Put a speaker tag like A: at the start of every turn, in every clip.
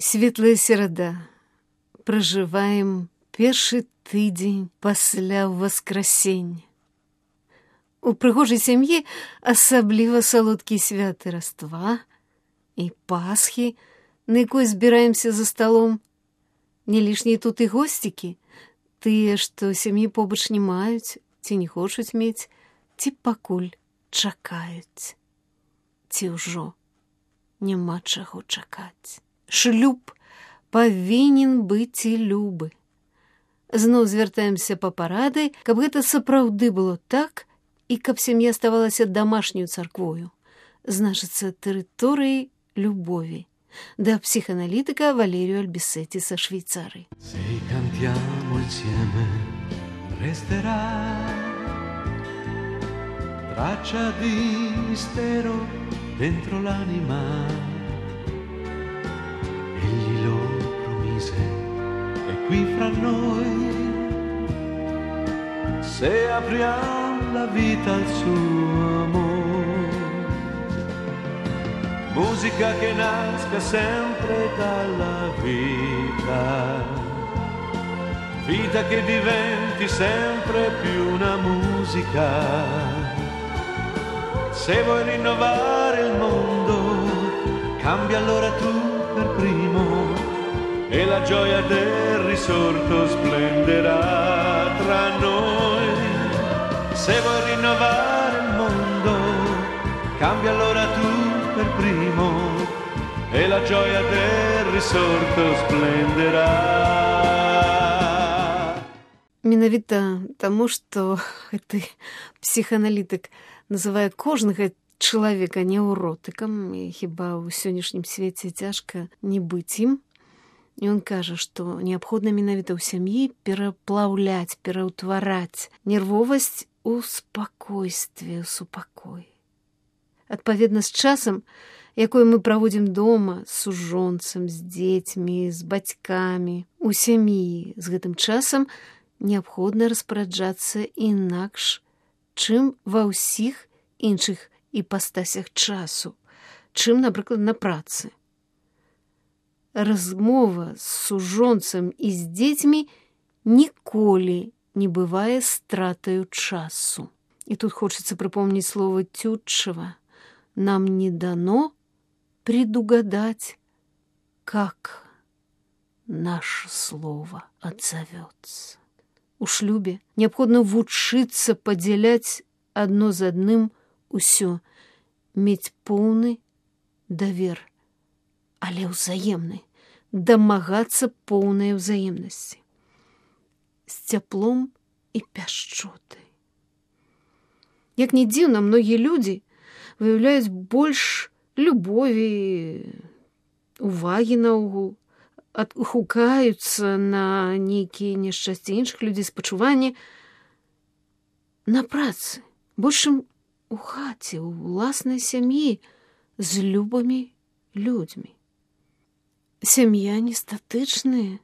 A: Светлая серада. Пражываем першы тыдзень пасля воскресення. У прыгожай сям'і асабліва салодкія святы Раства і Пасхі, на якой збіраемся за сталом. Не лішнія тут і госцікі, тыя, што сям'і побач не маюць, ці не хочуць мець, ці пакуль чакаюць. Ці ўжо няма чаго чакаць. Шлюб павінен быць і любы. Зноў звяртаемся па парады, каб гэта сапраўды было так, і каб сям'я ставалася домашнюю царквою, значыцца тэрыторыяй любові, да психоаналитика Валерио Альбисетти со Швейцарии.
B: Se cantiamo insieme resterà traccia di mistero dentro l'anima. Egli lo promise, è qui fra noi. Se apriamo la vita al suo amore. Musica che nasca sempre dalla vita, vita che diventi sempre più una musica. Se vuoi rinnovare il mondo, cambia allora tu per primo e la gioia del risorto splenderà tra noi. Se vuoi rinnovare il mondo, cambia allora tu per primo e la gioia del risorto splenderà.
A: Менавіта таму, што гэты псіхааналітык называе кожнага чалавека неўротыкам, і хіба ў сённяшнім свеце цяжка не быць ім. І ён кажа, што неабходна менавіта ў сям'і пераплаўляць, пераўтвараць нервовасць у спакойстве, у супакой. Адпаведна з часам, якой мы праводзім дома, з сужонцам, з дзецьмі, з бацькамі, у сям'і, з гэтым часам неабходна распараджацца інакш, чым ва ўсіх іншых іпастасях часу, чым, напрыклад, на працы. Размова з сужонцам і з дзецьмі ніколі не бывае стратаю часу. І тут хочацца прыпомніць слова Тютчева. Нам не дано предугадать, как наше слово отзовется. У шлюбе неабходна вучыцца падзяляць адно з адным усё, мець поўны давер, але ўзаемны, дамагацца поўнай ўзаемнасці, з цяплом і пяшчотай. Як не дзіўна, многія людзі выяўляюць больш любові, увагі наогул, адгукаюцца на нейкія няшчасці іншых людзей, спачуванні на працы, большым у хаце, у ўласнай сям'і, з любымі людзьмі. Сям'я не статычная,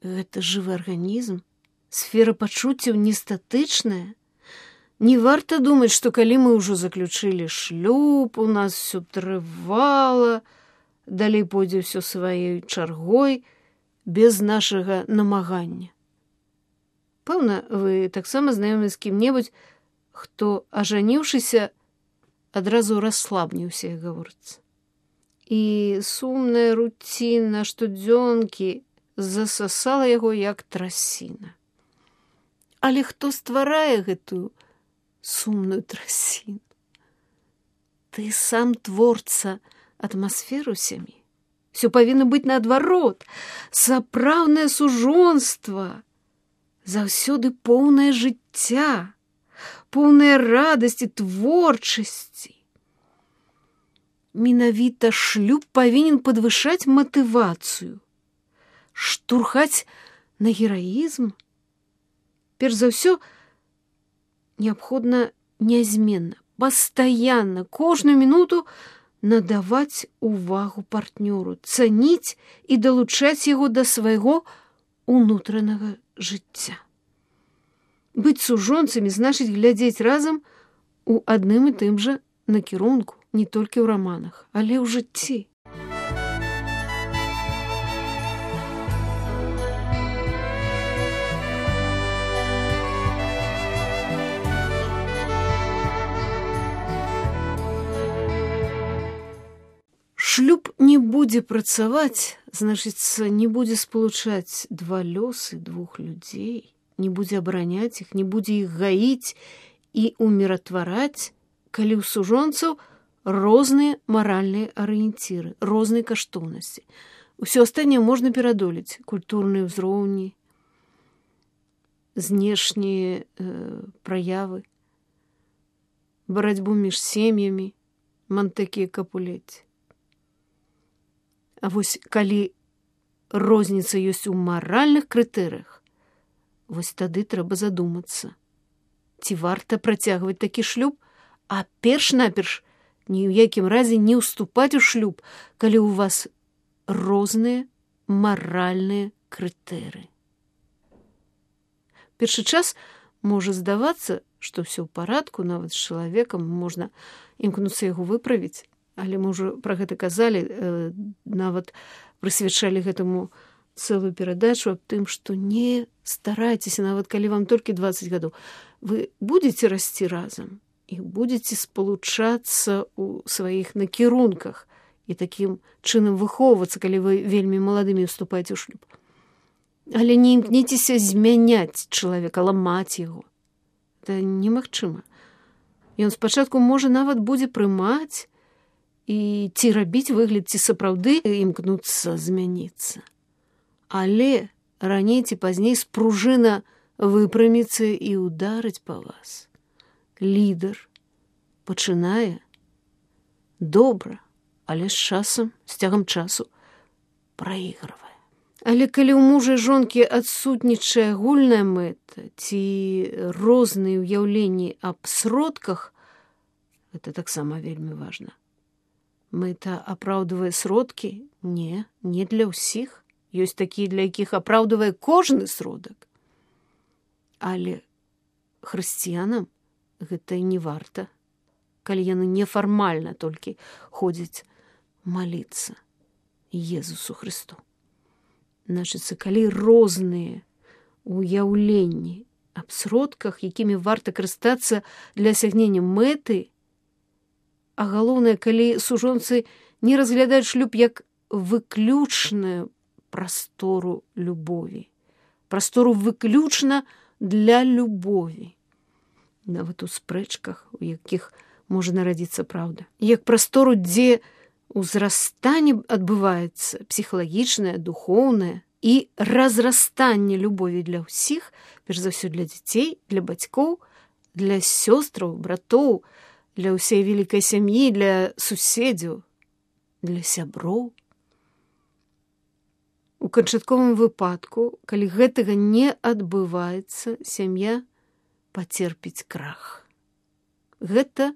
A: гэта жывы арганізм, сфера пачуццяў не статычная. Не варта думаць, што калі мы ўжо заключылі шлюб, у нас все трывала, далей пойдзе ўсё сваёй чаргой, без нашага намагання. Пэўна, вы таксама знаёмы з кім-небудзь, хто, ажаніўшыся, адразу расслабніўся, як гаворыцца. І сумная руціна штодзёнкі засасала яго, як трасіна. Але хто стварае гэтую сумную трасіну? Ты сам творца атмасферу сям'і. Все павінна быць наадварот. Сапраўднае сужонства заўсёды поўнае жыцця, поўнае радасці, творчасці. Менавіта шлюб павінен падвышаць матывацыю, штурхаць на гераізм. Перш за ўсё, неабходна нязменна, пастаянна, кожную мінуту надаваць увагу партнёру, цаніць і далучаць яго да свайго унутранага жыцця. Быць сужонцамі значыць глядзець разам у адным і тым жа накірунку, не толькі ў раманах, але ў жыцці. будзе працаваць, значыцца, не будзе спалучаць два лёсы двух людзей, не будзе абараняць іх, не будзе іх гаіць і уміратвараць, калі ў сужонцаў розныя маральныя арыенціры, розныя каштоўнасці. Усё астатняе можна перадолець: культурныя ўзроўні, знешнія праявы, барацьбу між сем'ямі, Монтек'е і Капулеці. А вось калі розніца ёсць у маральных крытэрыях, вось тады трэба задумацца, ці варта працягваць такі шлюб, а перш-наперш ні ў якім разе не ўступаць у шлюб, калі ў вас розныя маральныя крытэрыі. Першы час можа здавацца, што ўсё ў парадку, нават з чалавекам можна імкнуцца яго выправіць, але мы ўжо пра гэта казалі, нават прысвячалі гэтаму цэлую перадачу аб тым, што не старайцеся, нават калі вам толькі 20 гадоў. Вы будзеце расці разам і будзеце спалучацца ў сваіх накірунках і такім чынам выхоўвацца, калі вы вельмі маладымі ўступаеце ў шлюб. Але не імкніцеся змяняць чалавека, ламаць яго. Это немагчыма. Ён спачатку можа нават будзе прымаць і ці рабіць выгляд, ці сапраўды імкнуцца змяніцца. Але раней ці пазней спружына выпраміцца і ударыць па вас. Лідар пачынае добра, але з часам, з цягам часу праігрывае. Але калі ў мужа і жонкі адсутнічае агульная мэта ці розныя ўяўленні аб сродках, гэта таксама вельмі важна. Мэта апраўдвае сродкі? Не для ўсіх. Ёсць такія, для якіх апраўдвае кожны сродак. Але хрысціянам гэта і не варта, калі яны нефармальна толькі ходзяць маліцца Езусу Христу. Значыцца, калі розныя уяўленні аб сродках, якімі варта карыстацца для асягнення мэты, а галоўнае, калі сужонцы не разглядаюць шлюб як выключную прастору любові, прастору выключна для любові, нават у спрэчках, у якіх можа нарадзіцца праўда, як прастору, дзе ўзрастанне адбываецца псіхалагічнае, духоўнае і разрастанне любові для ўсіх, перш за ўсё для дзяцей, для бацькоў, для сёстраў, братоў, для ўсей вялікай сям'і, для суседзяў, для сяброў. У канчатковым выпадку, калі гэтага не адбываецца, сям'я пацерпіць крах. Гэта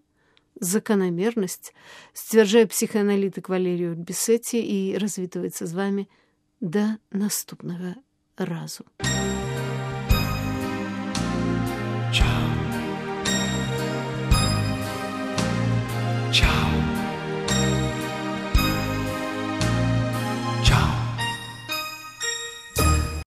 A: заканамернасць, сцвярджае псіхааналітык Валерій Бесеці і развітваецца з вамі да наступнага разу.